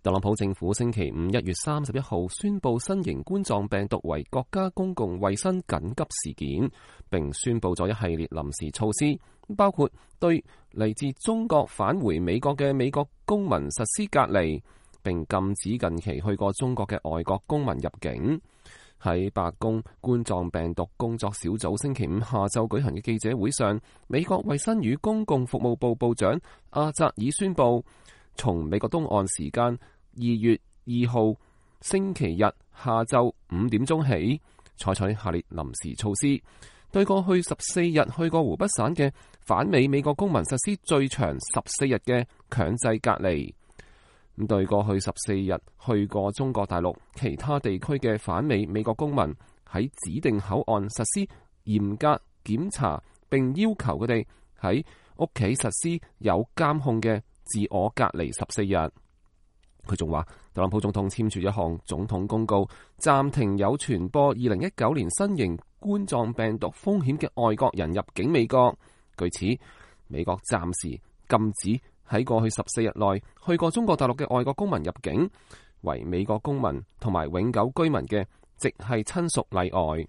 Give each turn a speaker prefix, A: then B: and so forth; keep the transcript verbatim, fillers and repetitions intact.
A: 特朗普政府星期五一月三十一號宣布新型冠狀病毒為國家公共衛生緊急事件，並宣布咗一系列臨時措施，包括對嚟自中國返回美國嘅美國公民實施隔離，並禁止近期去過中國嘅外國公民入境。喺白宮冠狀病毒工作小組星期五下晝舉行嘅記者會上，美國衛生與公共服務部部長阿扎爾宣布，從美國東岸時間二月二號星期日下晝五點鐘起，採取下列臨時措施，對過去十四日去過湖北省嘅返美美國公民實施最長十四日嘅強制隔離。咁對過去十四日去過中國大陸其他地區嘅返美美國公民，喺指定口岸實施嚴格檢查，並要求佢哋喺屋企實施有監控嘅自我隔離十四日。佢仲話，特朗普總統簽署一項總統公告，暫停有傳播二零一九年新型冠狀病毒風險嘅外國人入境美國。據此，美國暫時禁止喺過去十四日內去過中國大陸嘅外國公民入境，為美國公民同埋永久居民嘅直系親屬例外。